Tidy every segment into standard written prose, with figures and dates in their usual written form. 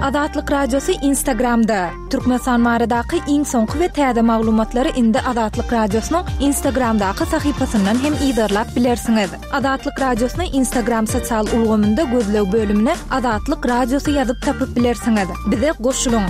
Azatlyk Radiosy Instagramda! Türkmenistan baradaky iň soňky we täze maglumatlary indi Azatlyk Radiosynyň Instagramdaky sahypasyndan hem yzarlap bilersiňiz. Azatlyk Radiosyny Instagram sosial ulgamynda gözleg bölümine Azatlyk Radiosy ýazyp tapyp bilersiňiz. Bize goşulyň!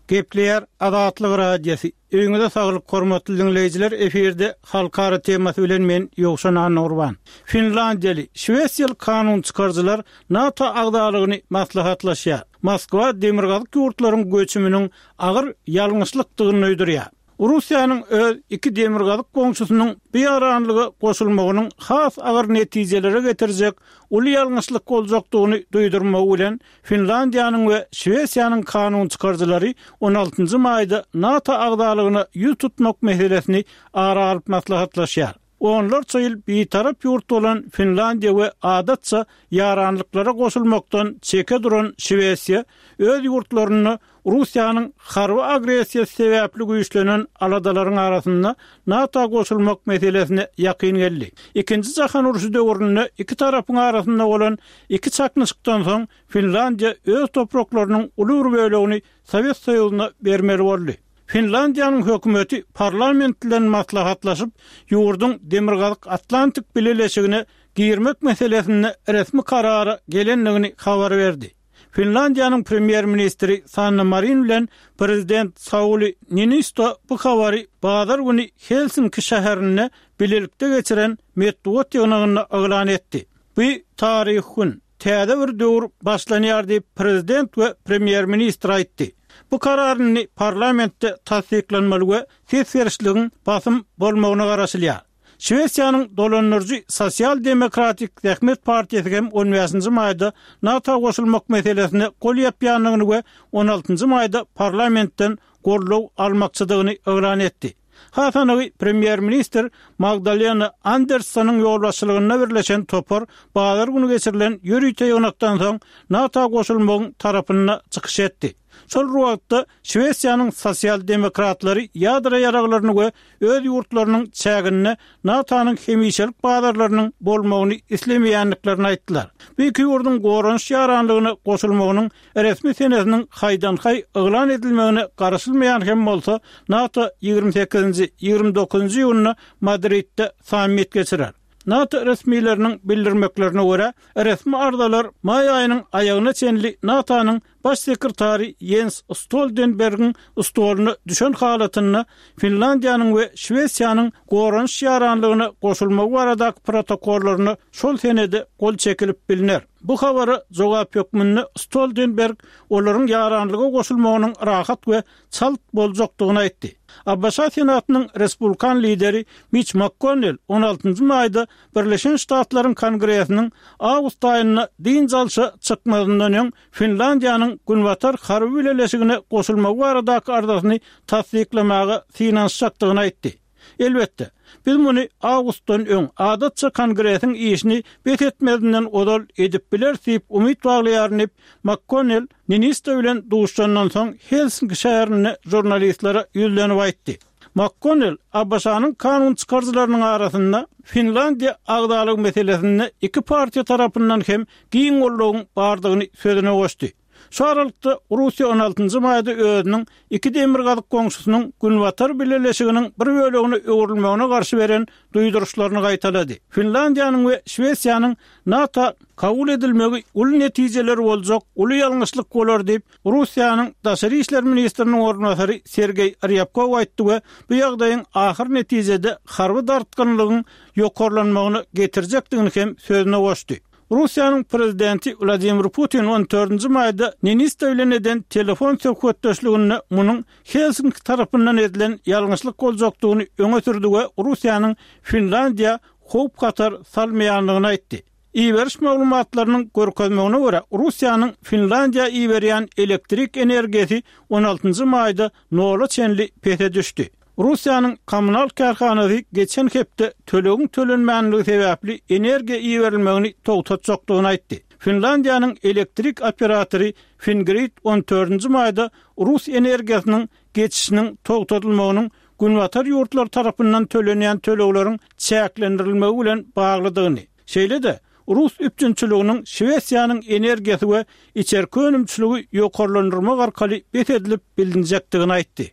Gepleýär Azatlyk Radiosy. Öýüňize saglyk hormatly diňleýjiler efirde halkara temasy bilen men Ýowşan Annagurban. Finlandiýaly, Şwesiýaly kanun çykaryjylar NATO agzalygyny maslahatlaşýar. Moskwa demirgazyk ýurtlaryň göçüminiň agyr ýalňyşlykdygyny duýdurýar. Russiýanyň öz iki demirgazyk goňşusynyň bu ýaranlyga goşulmagynyň has agyr netijelere getirjek uly ýalňyşlyk boljakdygyny duýdurmagy bilen Finlandiýanyň we Şwesiýanyň kanun çykaryjylary on altynjy maýda NATO agzalygyna ýüz tutmak meselesini ara alyp maslahatlaşýar. Onlarça ýyl bitarap ýurt bolan Finlandiýa we adatça ýaranlyklara goşulmakdan çeke duran Şwesiýa öz ýurtlarynda Russiýanyň harby agressiýasy sebäpli güýçlenen aladalaryň arasynda NATO goşulmak meselesine ýakyn geldi. Ikinji jahan urşy döwründe iki tarapyň arasynda bolan iki çaknyşykdan soň Finlandiýa öz topraklarynyň uly bir bölegini Sowet Soýuzyna bermeli boldy. Finlandiýanyň hökümeti parlament bilen maslahatlaşyp, ýurduň Demirgazyk Atlantik Bileleşigine girmek meselesinde resmi karara gelendigini habar berdi. Finlandiýanyň premýer-ministri Sanna Marin bilen prezident Sauli Niinisto bu habary bazar güni Helsinki şäherinde bilelikde geçiren metbugat ýygnagynda yglan etdi. Bu taryhy gün, täze bir döwür başlanýar diýip, prezident we premýer-ministr aýtdy. Bu karar indi parlamentde tassyklanmaly we ses berişligiň basym bolmagyna garaşylýar. Şwesiýanyň dolandyryjy Sosial-demokratik zähmet partiýasy hem on bäşinji maýda NATO goşulmak meselesine gol ýapýandygyny we on altynjy maýda parlamentden goldaw almakçydygyny yglan etdi. Has anygy, premýer-ministr Magdalena Anderssonyň ýolbaşçylygynda birleşen topar bazar güni geçirilen ýörite ýygnakdan soň NATO goşulmagyň tarapynda çykyş etdi. Şol bir wagtda, Şwesiýanyň sosial-demokratlary ýadro ýaraglaryny we öz ýurtlarynyň çäginde NATO-nyň hemişelik bazarlarynyň bolmagyny islemeýändiklerini aýtdylar. Bu iki ýurduň goranyş ýaranlygyna goşulmagynyň resmi senesiniň haýdan-haý yglan edilmegine garaşylmaýan hem bolsa, NATO 28-nji, 29-njy iýunda Madridde sammit geçirer. NATO resmileriniň bildirmeklerine görä, resmi arzalar maý aýynyň aýagyna çenli NATO-nyň Baş sekretary Ýens Stoltenbergiň stoluna düşen halatynda Finlandiýanyň we Şwesiýanyň goranyş ýaranlygyna goşulmagy baradaky protokollaryna şol senede gol çekilip bilner. Bu habara jogap hökmünde Stoltenberg olaryň ýaranlyga goşulmagynyň rahat we çalt boljakdygyny aýtdy. ABŞ Senatynyň respublikan lideri Miç Makkonnel on altynjy maýda Birleşen Ştatlaryň Kongresiniň awgust aýynda dynç alşa çykmazyndan öň Finlandiýanyň Günbatar harby bileleşigine goşulmagy baradaky arzasyny tassyklamaga synanyşjakdygyny aýtdy. Elbetde, biz muny awgustdan öň, adatça Kongresiň işini bes etmezinden ozal edip bileris diýip umyt baglaýaryn diýip, MakKonnel Niinisto bilen duşuşandan soň Helsinki şäherinde žurnalistlere ýüzlenip aýtdy. MakKonnel ABŞ-nyň kanun çykaryjylarynyň arasynda Finlandiýa agzalygy meselesinde iki partiýa tarapyndan hem giň goldawyň bardygyny sözüne goşdy. Şu aralykda, Russiýa on altynjy maýda özüniň iki demirgazyk goňşusynyň Günbatar bileleşiginiň bir bölegine öwrülmegine garşy beren duýduryşlaryny gaýtalady. Finlandiýanyň we Şwesiýanyň NATO kabul edilmegi uly netijeleri boljak uly ýalňyşlyk bolar diýip, Russiýanyň daşary işler ministriniň orunbasary Sergeý Rýabkow aýtdy we bu ýagdaýyň ahyr netijede harby dartgynlygyň ýokarlanmagyna getirjekdigini hem sözüne goşdy. Russiýanyň prezidenti Wladimir Putin on dördünji maýda Niinisto bilen eden telefon söhbetdeşliginde munuň Helsinki tarapyndan edilen ýalňyşlyk boljakdygyny öňe sürdi we Russiýanyň Finlandiýa howp-hatar salmaýandygyny aýtdy. Iberiş maglumatlarynyň görkezmegine görä, Russiýanyň Finlandiýa iberýän elektrik energiýasy on altynjy maýda nola çenli pese düşdi. Russiýanyň kommunal kärhanasy geçen hepde tölegiň tölenmänligi sebäpli energiýa iberilmegini togtatjakdygyny aýtdy. Finlandiýanyň elektrik operatory Fingrid on dördünji maýda rus energiýasynyň geçişiniň togtadylmagynyň Günbatar ýurtlary tarapyndan tölenýän tölegleriň çäklendirilmegi bilen baglydygyny, Şeýle-de, rus üpjünçiliginiň Şwesiýanyň energiýasy we içerki önümçiligi ýokarlandyrmak arkaly bes edilip bilinjekdigini aýtdy.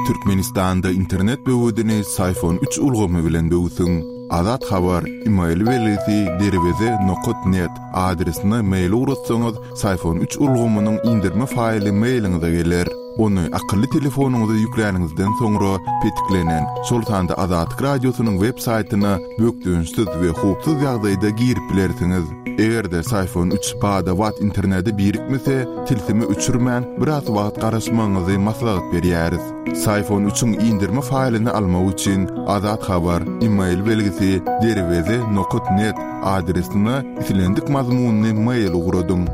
Türkmenistanda internet böwedini Syfon üç ulgamy bilen böwsüň. Azat Habar, email belgisi derweze nokat net adresine mail ugratsaňyz, Syfon üç ulgamynyň indirme faýly mailiňize geler. Ony akylly telefonyňyza ýükläniňizden soňra petiklenen, şol sanda Azatlyk Radiosynyň web saýtyna bökdençsiz we howpsuz ýagdaýda girip bilersiňiz. Eger-de Syfon üç bada-bat internete birikmese, tilsimi öçürmän, biraz wagt garaşmagyňyzy maslahat berýäris. Syfon üçiň indirme faýlyny almak üçin Azat Habar, email belgisi derweze nokat net adresine islendik mazmunly mail ugradyň.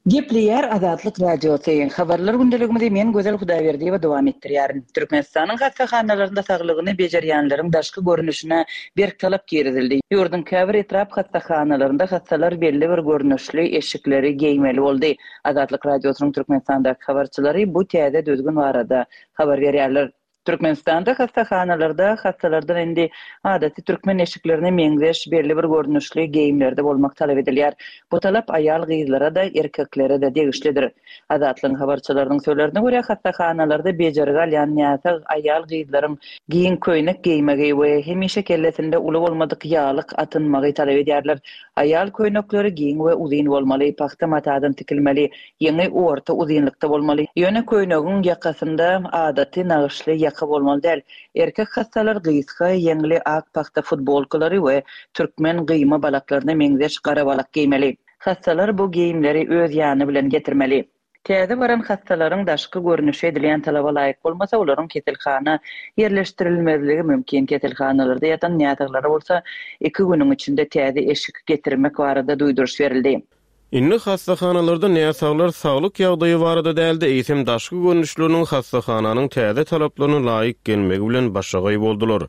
Gepleýär Azatlyk Radiosy, Habarlar gündeligimizi men Gözel Hudaýberdiýewa dowam etdirýärin. Türkmenistanyň hassahanalarynda saglygyny bejerýänleriň daşky görnüşine berk talap girizildi. Ýurduň käbir etrap hassahanalarynda hassalar belli bir görnüşli eşikleri geýmeli boldy. Azatlyk Radiosynyň Türkmenistandaky habarçylary bu täze düzgün barada habar berýärler. Türkmenistanda hassahanalarda hassalardan indi adaty türkmen eşiklerine meňzeş belli bir görnüşli geýimlerde bolmak talap edilýär. Bu talap aýal-gyzlara-da, erkeklere-de degişlidir. Azatlygyň habarçylarynyň sözlerine görä, hassahanalarda bejergi alýan näsag aýal-gyzlaryň giň köýnek geýmegi we hemişe kellesinde uly bolmadyk ýaglyk atynmagy talap edýärler. Aýal köýnekleri giň we uzyn bolmaly, pagta matadan tikilmeli, Ýeňi orta uzynlykda bolmaly. Ýöne köýnegiň ýakasynda adaty nagyşly ýaka bolmaly däl. Erkek hassalar gysga ýeňli ak pagta futbolkalary we türkmen gyýma balaklaryna meňzeş gara balak geýmeli. Hassalar bu geýimleri öz ýany bilen getirmeli. Täze baran hassalaryň daşky görnüşi edilýän talaba laýyk bolmasa, olaryň keselhana ýerleşdirilmezligi mümkin. Keselhanalarda ýatan näsaglara bolsa iki günüň içinde täze eşik getirmek barada duýduryş berildi. Indi hassahanalarda näsaglar saglyk ýagdaýy barada däl-de, eýsem daşky görnüşleriniň hassahananyň täze talaplaryna laýyk gelmegi bilen başagaý boldular.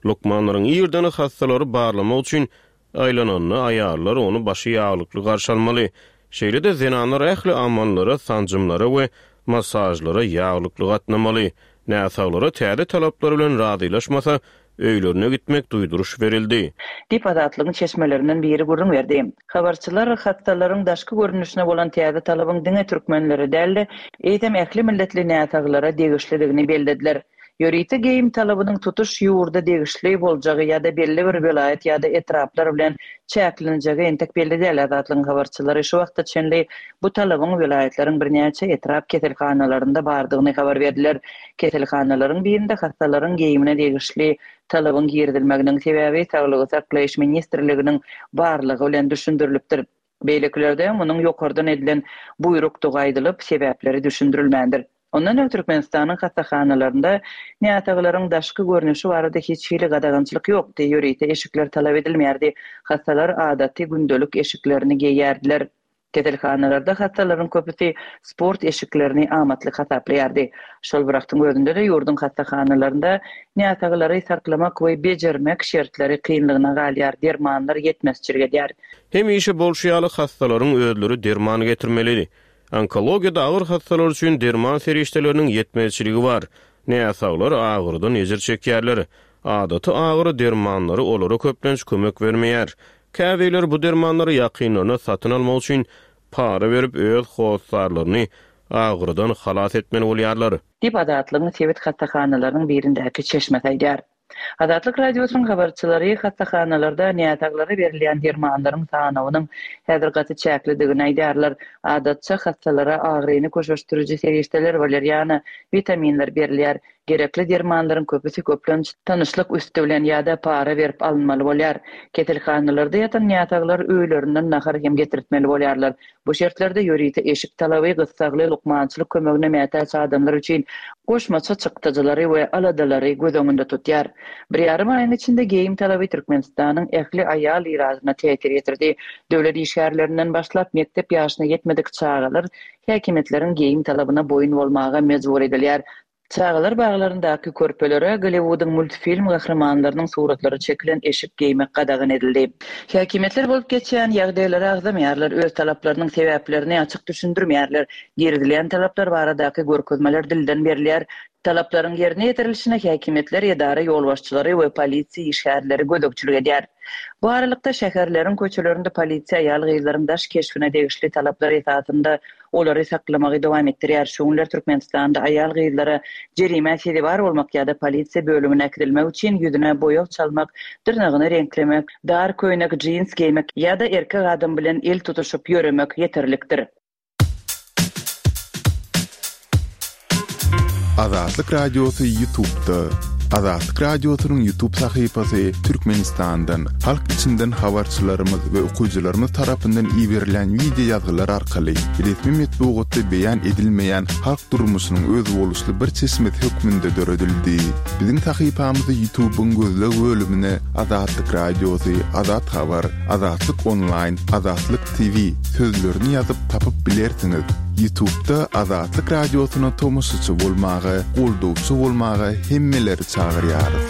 Lukmanlaryň irden hassalary barlamak üçin aýlananda aýallar ony başy ýaglykly garşy almaly. Şeýle-de zenanlar ähli amallara, sanjymlara we massažlara ýaglykly gatnamaly. Näsaglara täze talaplar bilen razylaşmasa, öýlerine gitmek duýduryş berildi. Diýip, Azatlygyň çeşmelerinden biri gürrüň berdi. Habarçylar hassalaryň daşky görnüşine bolan täze talabyň diňe türkmenlere däl-de, eýsem ähli milletli näsaglara degişlidigini bellediler. Ýörite geýim talabynyň tutuş ýurda degişli boljagy ýa-da belli bir welaýat ýa-da etraplar bilen çäklenjegi entek belli däl. Azatlygyň habarçylary şu wagta çenli bu talabyň welaýatlaryň birnäçe etrap keselhanalarynda bardygyny habar berdiler. Keselhanalaryň birinde hassalaryň geýimine degişli talabyň girizilmeginiň sebäbi Saglygy saklaýyş ministrliginiň barlagy bilen düşündirilipdir. Beýlekilerde munuň ýokardan edilen buýrukdygy aýdylyp, sebäpleri düşündirilmändir. Ondan öň Türkmenistanyň hassahanalarynda näsaglaryň daşky görnüşi barada hiç hili gadagançylyk ýokdy, ýörite eşikler talap edilmeýärdi, hassalar adaty gündelik eşiklerini geýýärdiler. Keselhanalarda hassalaryň köpüsi sport eşiklerini amatly hasaplaýardy. Şol bir wagtyň özünde-de ýurduň hassahanalarynda näsaglary saklamak we bejermek şertleri kynlygyna galýar, dermanlar ýetmezçilik edýär. Hemişe bolşy ýaly hassalaryň özleri derman getirmeli. Onkologiýada agyr hassalar üçin derman serişdeleriniň ýetmezçiligi bar. Näsaglar agyrydan ejir çekýärler. Adaty agyry dermanlary olara köplenç kömek bermeýär. Käbirleri bu dermanlary ýakynlaryna satyn almak üçin para berip, öz hossarlaryny agyrydan halas etmeli bolýarlar. Diýip, Azatlygyň sebit hassahanalarynyň birindäki çeşmesi aýdýar. Azatlyk Radiosynyň habarçylary hassahanalarda näsaglara berilýän dermanlaryň sanawynyň häzir gaty çäklidigini aýdýarlar. Adatça, hassalara agyryny köşeşdiriji serişdeler, waleriana, witaminler berilýär. Gerekli dermanlaryň köpüsi köplenç tanyşlyk üsti bilen ýa-da para berip alynmaly bolýar. Keselhanalarda ýatan näsaglar öýlerinden nahar hem getirtmeli bolýarlar. Bu şertlerde ýörite eşik talaby gyssagly lukmançylyk kömegine mätäç adamlar üçin goşmaça çykdajylary we aladalary göz öňünde tutýar. Bir ýarym aýyň içinde geýim talaby Türkmenistanyň ähli aýal ilatyna täsir ýetirdi. Döwlet işgärlerinden başlap mekdep ýaşyna ýetmedik çagalar häkimiýetleriň geýim talabyna boýun bolmaga mejbur edilýär. Çagalar baglaryndaky körpelere Golliwudyň multfilm gahrymanlarynyň suratlary çekilen eşik geýmek gadagan edildi. Häkimiýetler bolup geçýän ýagdaýlary agzamaýarlar, öz talaplarynyň sebäplerini açyk düşündirmeýärler. Girizilýän talaplar baradaky görkezmeler dilden berilýär. Talaplaryň ýerine ýetirilişine häkimiýetler, edara ýolbaşçylary we polisiýa işgärleri gözegçilik edýär. Bu aralykda, şäherleriň köçelerinde polisiýa aýal-gyzlaryň daş keşbine degişli talaplar esasynda olary saklamagy dowam etdirýär. Şu günler Türkmenistanda aýal-gyzlara jerimä sezewar bolmak ýa-da polisiýa bölümine äkidilmek üçin ýüzüne boýag çalmak, dyrnagyny reňklemek, dar köýnek, jins geýmek ýa-da erkek adam bilen el tutuşyp ýöremek ýeterlikdir. Azatlyk Radiosy Ýutubda. Azatlyk Radiosynyň Ýutub sahypasy Türkmenistandan, halk içinden habarçylarymyz we okyjylarymyz tarapyndan iberilen wideo ýazgylar arkaly resmi metbugatda beýan edilmeýän halk durmuşynyň özboluşly bir çeşmesi hökmünde döredildi. Biziň sahypamyzy Ýutubyň gözleg bölümine Azatlyk Radiosy, Azat Habar, Azatlyk Onlaýn, Azatlyk TV sözlerini ýazyp tapyp bilersiňiz. Ýutubda Azatlyk Radiosyna tomaşaçy bolmaga, goldawçy bolmaga hemmeleri çagyrýarys.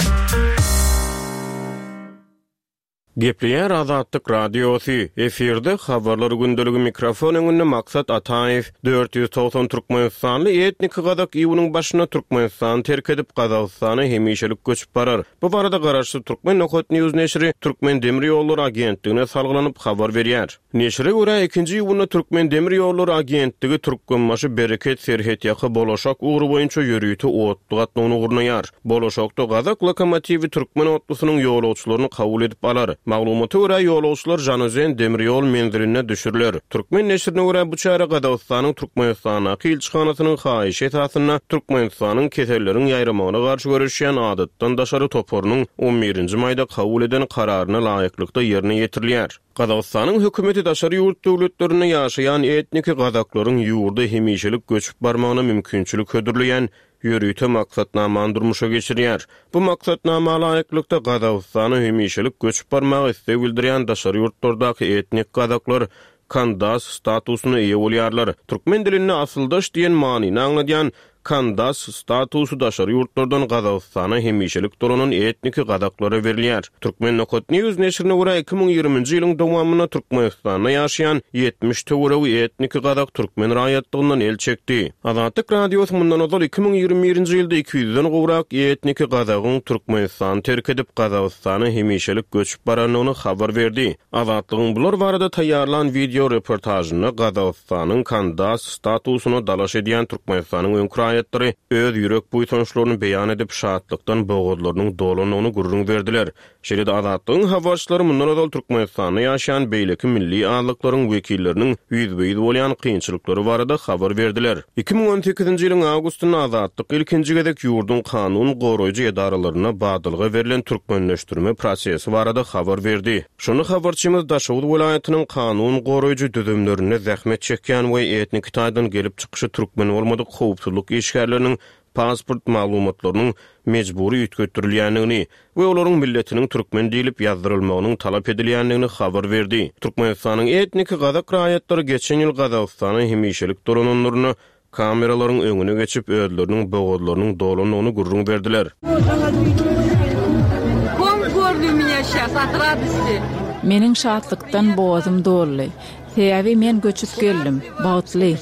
Gepleýär Azatlyk Radiosy, efirde Habarlar gündeligi mikrofon öňünde Maksat Ataýew. 490 türkmenistanly etniki gazak iýunyň başynda Türkmenistany terk edip, Gazagystana hemişelik göçüp barar. Bu barada garaşsyz Turkmen Nokat News neşiri Türkmen demir ýollary agentligine salgylanyp habar berýär. Neşire görä, ikinji iýunda Türkmen demir ýollary agentligi Türkmenbaşy, Bereket, Serhetýaka, Bolaşak ugry boýunça ýörite otly gatnawyny gurnaýar. Bolaşakda gazak lokomotiwi türkmen otlusynyň ýolagçylaryny kabul edip alar. Maglumata görä, ýolagçylar Žanaözen demir ýol menzilinde düşüriler. Türkmen neşirine görä, bu çäre Gazagystanyň Türkmenistandaky ilçihanasynyň haýyşy esasynda Türkmenistanyň keselleriň ýaýramagyna garşy göreşýän adatdan daşary toparynyň on birinji maýda kabul eden kararyna laýyklykda ýerine ýetirilýär. Gazagystanyň hökümeti daşary ýurt döwletlerinde ýaşaýan etniki gazaklaryň ýurda hemişelik göçüp barmagyna mümkinçilik hödürleýän ýörite maksatnamany durmuşa geçirýär. Bu maksatnama laýyklykda, Gazagystana hemişelik göçüp barmaga isleg bildirýän daşary ýurtlardaky etnik gazaklar kandas statusyna eýe bolýarlar. Türkmen dilinde asyldaş diýen manyny aňladýan Kandas statusy daşary ýurtlardan Gazagystana hemişelik dolanan etniki gazaklara berilýär. Turkmen. News neşirine görä, 2020-nji ýylyň dowamynda Türkmenistanda ýaşaýan 70 töweregi etniki gazak türkmen raýatlygyndan el çekdi. Azatlyk Radiosy mundan ozal 2021-nji ýylda iki ýüzden gowrak etniki gazagyň Türkmenistany terk edip, Gazagystana hemişelik göçüp barandygyny habar berdi. Azatlygyň bular barada taýýarlan wideo reportažynda Gazagystanyň kandidat statusyna dalaş edýän Türkmenistanyň öňki raýatlary öz ýürek buýsançlaryny beýan edip, şatlykdan bogazlarynyň dolandygyny gürrüň berdiler. Şeýle-de Azatlygyň habarçylary mundan ozal Türkmenistanda ýaşaýan beýleki milli azlyklaryň wekilleriniň ýüzbe-ýüz bolýan kynçylyklary barada habar berdiler. 2018-nji ýylyň awgustynda Azatlyk ilkinji gezek ýurduň kanun goraýjy edaralarynda badalga berlen türkmenleşdirme prosesi barada habar berdi. Şonda habarçymyz Daşoguz welaýatynyň kanun goraýjy düzümlerinde zähmet çekýän we etniki taýdan gelip çykyşy türkmen bolmadyk howpsuzlyk işgärleriniň pasport maglumatlarynyň mejbury üýtgetdirilýändigini we olaryň milletiniň türkmen diýlip ýazdyrylmagynyň talap edilýändigini habar berdi. Türkmenistanyň etniki gazak raýatlary geçen ýyl Gazagystana hemişelik dolananlarynda kameralaryň öňüne geçip, özleriniň bogazlarynyň dolandygyny gürrüň berdiler. Meniň şatlykdan bogazym doldy. Sebäbi men göçüp geldim. Bagtly.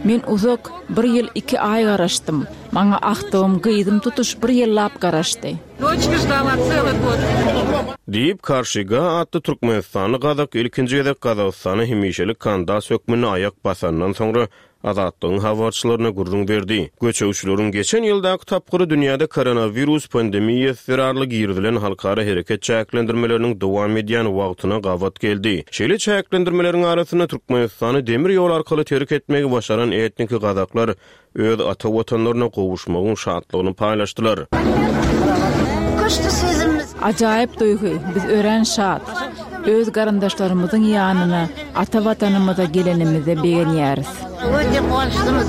Men uzak, bir ýyl iki aý garaşdym. Maňa agtygym, gyzym tutuş bir ýyllap garaşdy. Diýip, Karşyga atly türkmenistanly gazak ilkinji gezek Gazagystana hemişelik kandidat hökmünde aýak basandan soňra Azatlygyň habarçylaryna gürrüň berdi. Göçegçileriň geçen ýyldaky tapgyry dünýäde koronawirus pandemiýasy zerarly girizilen halkara hereket çäklendirmeleriniň dowam edýän wagtyna gabat geldi. Şeýle çäklendirmeleriň arasynda Türkmenistany demir ýol arkaly terk etmegi başaran etniki gazaklar öz ata Watanlaryna gowuşmagyň şatlygyny paýlaşdylar. Ajaýyp duýgy, biz örän şat. Öz garyndaşlarymyzyň ýanyna, ata Watanymyza gelenimize begenýäris. Öte guwançlymyz.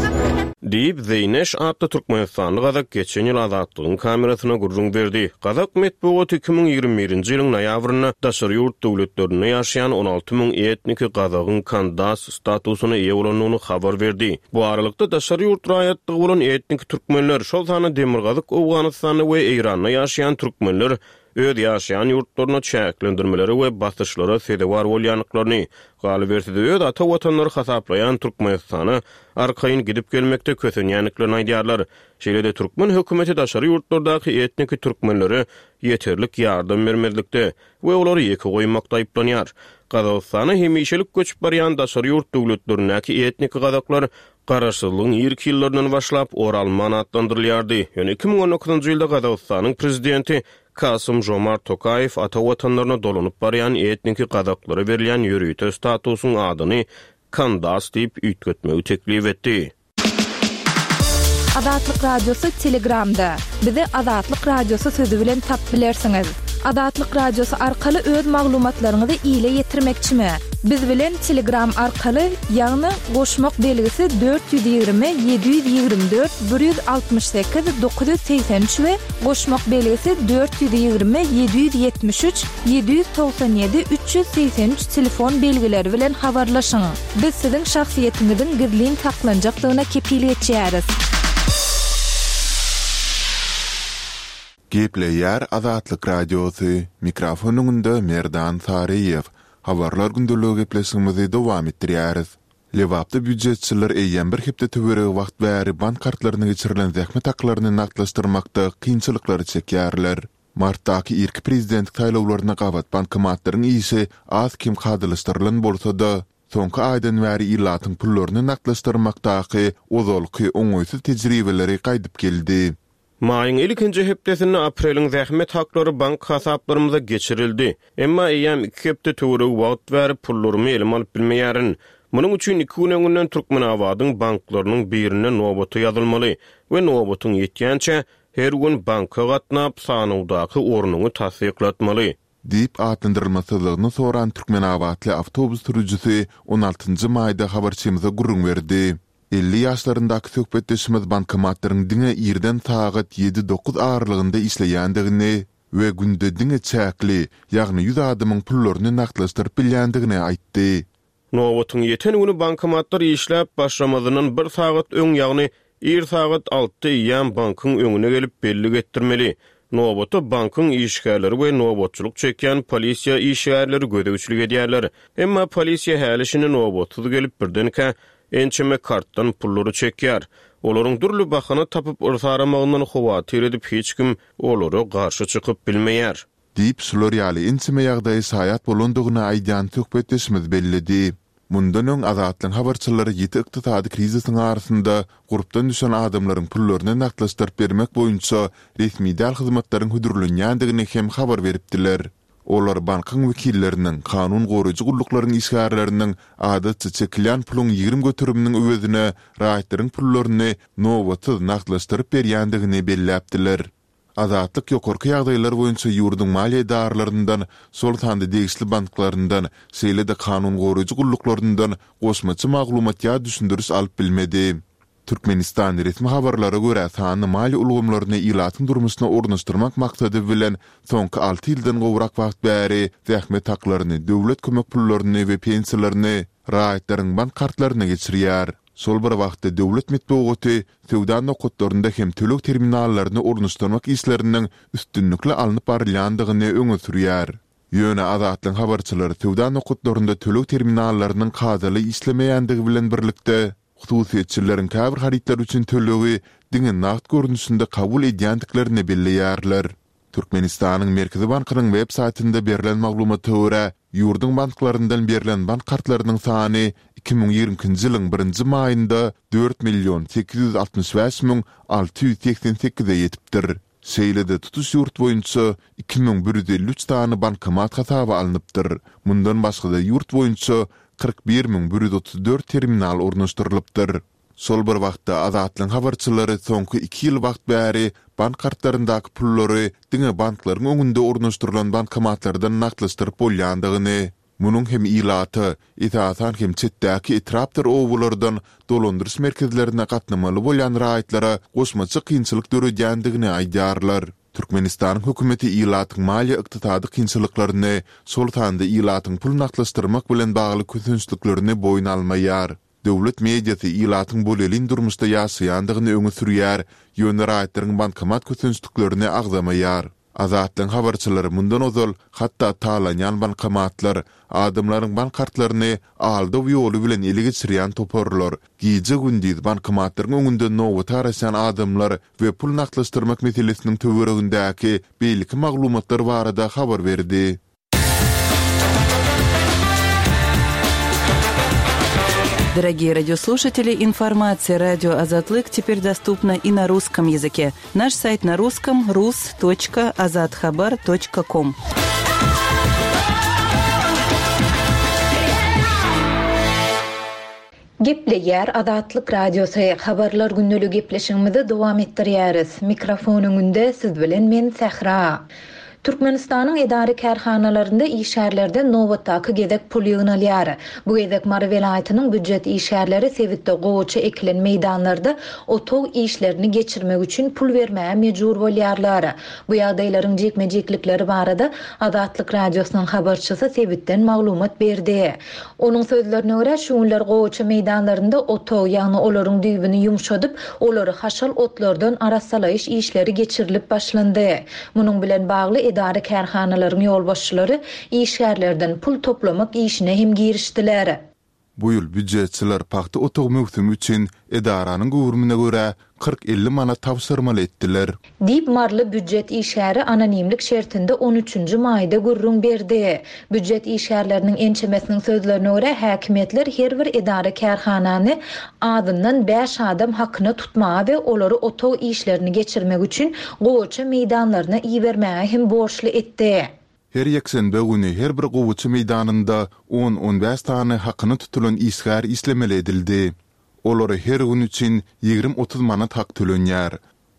Diýip, Zeýneş atly türkmenistanly gazak geçen ýyl Azatlygyň kamerasyna gürrüň berdi. Gazak metbugaty 2021-nji ýylyň noýabrynda daşary ýurt döwletlerinde ýaşaýan 16 müň etniki gazagyň kandas statusyna eýe bolandygyny habar berdi. Bu aralykda, daşary ýurt raýatlygy bolan etniki türkmenler, şol sanda Demirgazyk Owganystanda we Eýranda ýaşaýan türkmenler öz ýaşaýan ýurtlarynda çäklendirmelere we basyşlara sezewar bolýandyklaryny, galyberse-de öz ata watanlary hasaplaýan Türkmenistana arkaýyn gidip-gelmekde kösenýändiklerini aýdýarlar. Şeýle-de türkmen hökümeti daşary ýurtlardaky etniki türkmenlere ýeterlik ýardam bermezlikde we olary ýeke goýmakda aýyplanýar. Gazagystana hemişelik göçüp barýan daşary ýurt döwletlerindäki etniki gazaklar Garaşsyzlygyň irki ýyllaryndan başlap Oralman atlandyrylýardy. Ýöne 2019-njy ýylda Gazagystanyň prezidenti Kasym-Žomart Tokaýew ata watanlaryna dolanyp barýan etniki gazaklara berilýän ýörite statusyň adyny Kandas diýip üýtgetmegi teklip etdi. Azatlyk Radiosy Telegramda. Bizi Azatlyk Radiosy sözi bilen tapyp bilersiňiz. Azatlyk Radiosy arkaly öz maglumatlaryňyzy ile ýetirmekçimi? Biz bilen Telegram arkaly, ýagny goşmak belgisi 420 724 168 983 we goşmak belgisi 420 773 797 383 telefon belgileri bilen habarlaşyň. Biz siziň şahsyýetiňiziň gizlin saklanjakdygyna kepil geçýäris. Gepleýär Azatlyk Radiosy, mikrofon öňünde Merdan Saryýew. Habarlar gündeligi gepleşigimizi dowam etdirýäris. Lebapda býujetçiler eýýäm bir hepde töweregi wagt bäri bank kartlaryna geçirilen zähmet haklaryny nagtlaşdyrmakda kynçylyklary çekýärler. Martdaky irki prezidentlik saýlawlaryna gabat bankomatlaryň işi az-kem kadalaşdyrylan bolsa-da, soňky aýdan bäri ilatyň pullaryny nagtlaşdyrmakdaky ozalky oňaýsyz tejribeleri gaýdyp geldi. Maýyň ilkinji hepdesinde apreliň zähmet haklary bank hasaplarymyza geçirildi. Emma eýýäm iki hepde töweregi wagt bäri pullarymy elime alyp bilmeýärin. Munuň üçin iki gün öňünden Türkmenabadyň banklarynyň birinde nobata ýazylmaly we nobatyň ýetýänçä her gün banka gatnap, sanawdaky ornuňy tassyklatmaly. Diýip atlandyrylmasyzlygyny soran türkmenabatly awtobus sürüjisi on altynjy maýda habarçymyza gürrüň berdi. 50 ýaşlaryndaky söhbetdeşimiz bankomatlaryň diňe irden sagat ýedi-dokuz aralygynda işleýändigini we günde diňe çäkli, ýagny ýüz adamyň pullaryny nagtlaşdyryp bilýändigini aýtdy. Nobatyň ýeten güni bankomatlar işläp başlamazyndan bir sagat öň, ýagny ir sagat altda eýýäm bankyň öňüne gelip bellik etdirmeli. Nobata bankyň işgärleri we nobatçylyk çekýän polisiýa işgärleri gözegçilik edýärler. Emma polisiýa häli-şindi nobatsyz gelip birdenkä ençeme kartdan pullary çekýär. Olaryň dürli bahana tapyp yrsaramagyndan howatyr edip hiç kim olara garşy çykyp bilmeýär. Diýip, şular ýaly ençeme ýagdaýa şaýat bolandygyny aýdýan söhbetdeşimiz belledi. Mundan öň Azatlygyň habarçylary ýiti ykdysady krizisiň arasynda gurpdan düşen adamlaryň pullaryny nagtlaşdyryp bermek boýunça resmi däl hyzmatlaryň hödürlenýändigini hem habar beripdiler. Olar bankyň wekilleriniň, kanun goraýjy gulluklaryň işgärleriniň adatça çekilýän puluň 20 göteriminiň öwezine raýatlaryň pullaryny nobatsyz nagtlaşdyryp berýändigini belläpdiler. Azatlyk ýokarky ýagdaýlar boýunça ýurduň maliýe edaralaryndan, şol sanda degişli banklaryndan, şeýle-de kanun goraýjy gulluklaryndan goşmaça maglumat ýa düşündiriş alyp bilmedi. Türkmenistan resmi habarlara görä sanly maliýe ulgamlaryny ilatyň durmuşyna ornaşdyrmak maksady bilen soňky alty ýyldan gowrak wagt bäri zähmet haklaryny, döwlet kömek pullaryny we pensiýalaryny raýatlaryň bank kartlaryna geçirýär. Şol bir wagtda döwlet metbugaty söwda nokatlarynda hem töleg terminallaryny ornaşdyrmak işleriniň üstünlikli alnyp barylýandygyny öňe sürýär. Ýöne Azatlygyň habarçylary söwda nokatlarynda töleg terminallarynyň kadaly işlemeýändigi bilen birlikde, hususyýetçileriň käbir harytlar üçin tölegi diňe nagt görnüşinde kabul edýändiklerini belleýärler. Türkmenistanyň Merkezi bankynyň web saýtynda berlen maglumata görä, ýurduň banklaryndan berlen bank kartlarynyň sany 2022-nji ýylyň birinji maýynda dört million 865 müň 688-e ýetipdir. Şeýle-de tutuş ýurt boýunça 2153 sany bankomat hasaba alnypdyr. Mundan başga-da ýurt boýunça 41 müň 134 terminal ornaşdyrylypdyr. Şol bir wagtda, Azatlygyň habarçylary soňky iki ýyl wagt bäri bank kartlaryndaky pullary diňe banklaryň öňünde ornaşdyrylan bankomatlardan nagtlaşdyryp bolýandygyny, Munuň hem ilata, esasan hem çetdäki etrapdyr obalardan dolandyryş merkezlerine gatnamaly bolýan raýatlara goşmaça kynçylyk döredýändigini aýdýarlar. Türkmenistanyň hökümeti ilatyň maliýe-ykdysady kynçylyklaryny, şol sanda ilatyň pul nagtlaşdyrmak bilen bagly kösençliklerini boýun almaýar. Döwlet mediasy ilatyň bolelin durmuşda ýaşaýandygyny öňe sürýär, ýöne raýatlaryň bankomat kösençliklerini agzamaýar. Azatlygyň habarçylary mundan ozal hatda talanýan bankomatlar, adamlaryň bank kartlaryny aldaw ýoly bilen ele geçirýän toparlar, gije-gündiz bankomatlaryň öňünde nobata garaşýan adamlar we pul nagtlaşdyrmak meselesiniň töweregindäki beýleki maglumatlar barada habar berdi. Дорогие радиослушатели, информация радио Азатлык теперь доступна и на русском языке. Наш сайт на русском rus.azathabar.com. Gepleýär Azatlyk Radiosy, Habarlar gündeligi gepleşigimizi dowam etdirýäris. Mikrofon öňünde siz bilen men Sähra. Türkmenistanyň edara-kärhanalarynda işgärlerden nobatdaky gezek pul ýygnalýar. Bu gezek Mary welaýatynyň býujet işgärleri sebitde gowaça ekilen meýdanlarda otag işlerini geçirmek üçin pul bermäge mejbur bolýarlar. Bu ýagdaýlaryň jikme-jiklikleri barada Azatlyk Radiosynyň habarçysy sebitden maglumat berdi. Onuň sözlerine görä, şu günler gowaça meýdanlarynda otag, ýagny olaryň düýbüni ýumşadyp, olary haşal otlardan arassalaýyş işleri geçirilip başlandy. Munuň bilen bagly edara-kärhanalaryň ýolbaşçylary işgärlerden pul toplamak işine hem girişdiler. Bu ýyl býujetçiler pagta otag möwsümi üçin edaranyň göwrümine görä 40-50 manat tabşyrmaly etdiler. Diýip, maryly býujet işgäri anonimlik şertinde on üçünji maýda gürrüň berdi. Býujet işgärleriniň ençemesiniň sözlerine görä, häkimiýetler her bir edara-kärhanany azyndan bäş adam hakyna tutmaga we olary otag işlerini geçirmek üçin gowaça meýdanlaryna ibermäge hem borçly etdi. Her ýekşenbe güni her bir gowaça meýdanynda on-on bäş sany hakyna tutulan işgär işlemeli edildi. Olara her gün üçin ýigrim-otuz manat hak tölenýär.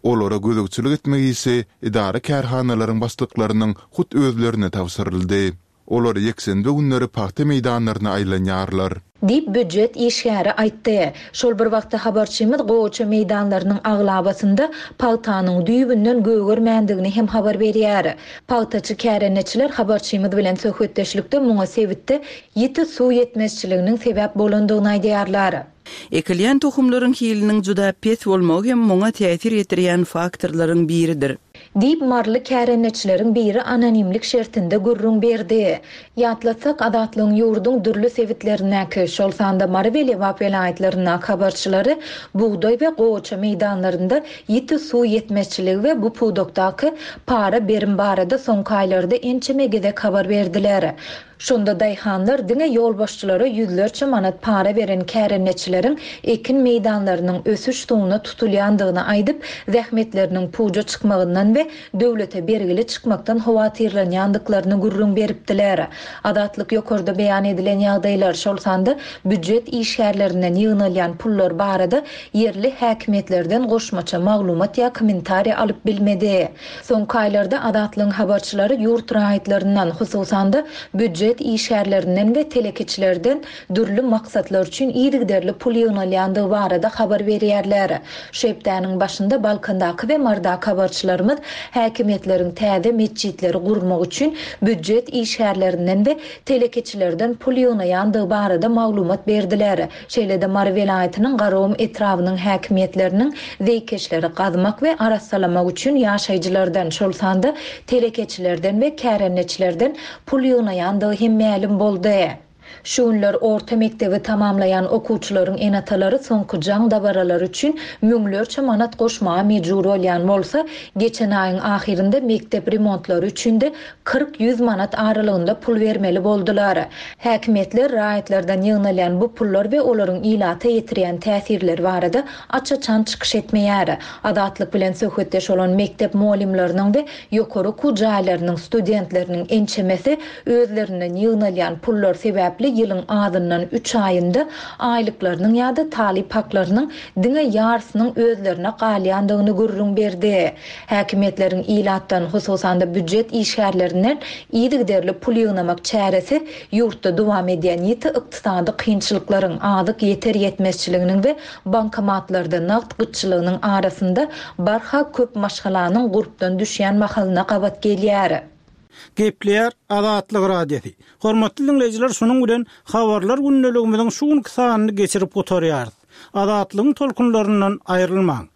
Olara gözegçilik etmek işi edara-kärhanalaryň başlyklarynyň hut özlerine tabşyryldy. Olar ýekşenbe günleri pagta meýdanlaryna aýlanýarlar. Diýip, býujet işgäri aýtdy. Şol bir wagtda habarçymyz gowaça meýdanlarynyň aglabasynda pagtanyň düýbünden gögermändigini hem habar berýär. Pagtaçy kärendeçiler habarçymyz bilen söhbetdeşlikde muňa sebitde ýiti suw ýetmezçiliginiň sebäp bolandygyny aýdýarlar. Ekilýän tohumlaryň hiliniň juda pes bolmagy hem muňa täsir ýetirýän faktorlaryň biridir. Diýip, maryly kärendeçileriň biri anonimlik şertinde gürrüň berdi. Ýatlatsak, Azatlygyň ýurduň dürli sebitlerindäki, şol sanda Mary we Lebap welaýatlaryndaky habarçylary bugdaý we gowaça meýdanlarynda ýiti suw ýetmezçiligi we bu pudakdaky para-berim barada soňky aýlarda ençeme gezek habar berdiler. Şonda daýhanlar diňe ýolbaşçylara ýüzlerçe manat para beren kärendeçileriň ekin meýdanlarynyň ösüş suwuna tutulýandygyny aýdyp, zähmetleriniň puja çykmagyndan we döwlete bergili çykmakdan howatyrlanýandyklaryny gürrüň beripdiler. Azatlyk ýokarda beýan edilen ýagdaýlar, şol sanda býujet işgärlerinden ýygnalýan pullar barada ýerli häkimiýetlerden goşmaça maglumat ýa kommentariý alyp bilmedi. Soňky aýlarda Azatlygyň habarçylary ýurt raýatlaryndan, hususan-da, býujet işgärlerinden we telekeçilerden dürli maksatlar üçin yzygiderli pul ýygnalýandygy barada habar berýärler. Şu hepdäniň başynda Balkandaky we Marydaky habarçylarymyz häkimiýetleriň täze metjitleri gurmak üçin býujet işgärlerinden we telekeçilerden pul ýygnaýandygy barada maglumat berdiler. Şeýle-de Mary welaýatynyň Garagum etrabynyň häkimiýetleriniň zeýkeşleri gazmak we arassalamak üçin ýaşaýjylardan, şol sanda telekeçilerden we kärendeçilerden pul ýygnaýandygy hem mälim boldy. Şu günler orta mekdebi tamamlaýan okuwçylaryň ene-atalary soňky jaň dabaralary üçin müňlerçe manat goşmaga mejbur bolýan bolsa, geçen aýyň ahyrynda mekdep remontlary üçin-de 40-ýüz manat aralygynda pul bermeli boldular. Häkimiýetler raýatlardan ýygnalýan bu pullar we olaryň ilata ýetirýän täsirleri barada aç-açan çykyş etmeýär. Azatlyk bilen söhbetdeş bolan mekdep mugallymlarynyň we ýokary okuw jaýlarynyň studentleriniň ençemesi özlerinden ýygnalýan pullar sebäpli. sebäpli ýylyň azyndan üç aýynda aýlyklarynyň ýa-da talyp haklarynyň diňe ýarysynyň özlerine galýandygyny gürrüň berdi. Häkimiýetleriň ilatdan, hususan-da býujet işgärlerinden yzygiderli pul ýygnamak çäresi ýurtda dowam edýän ýiti ykdysady kynçylyklaryň, azyk ýeter-ýetmezçiliginiň we bankomatlarda nagt gytçylygynyň arasynda barha köp maşgalanyň gurpdan düşýän mahalyna gabat gelýär. Gepleýär Azatlyk Radiosy. Hormatly diňleýjiler şunuň bilen Habarlar gündeligimiziň şu günki sanyny geçirip gutarýarys. Azatlygyň tolkunlaryndan aýrylmaň.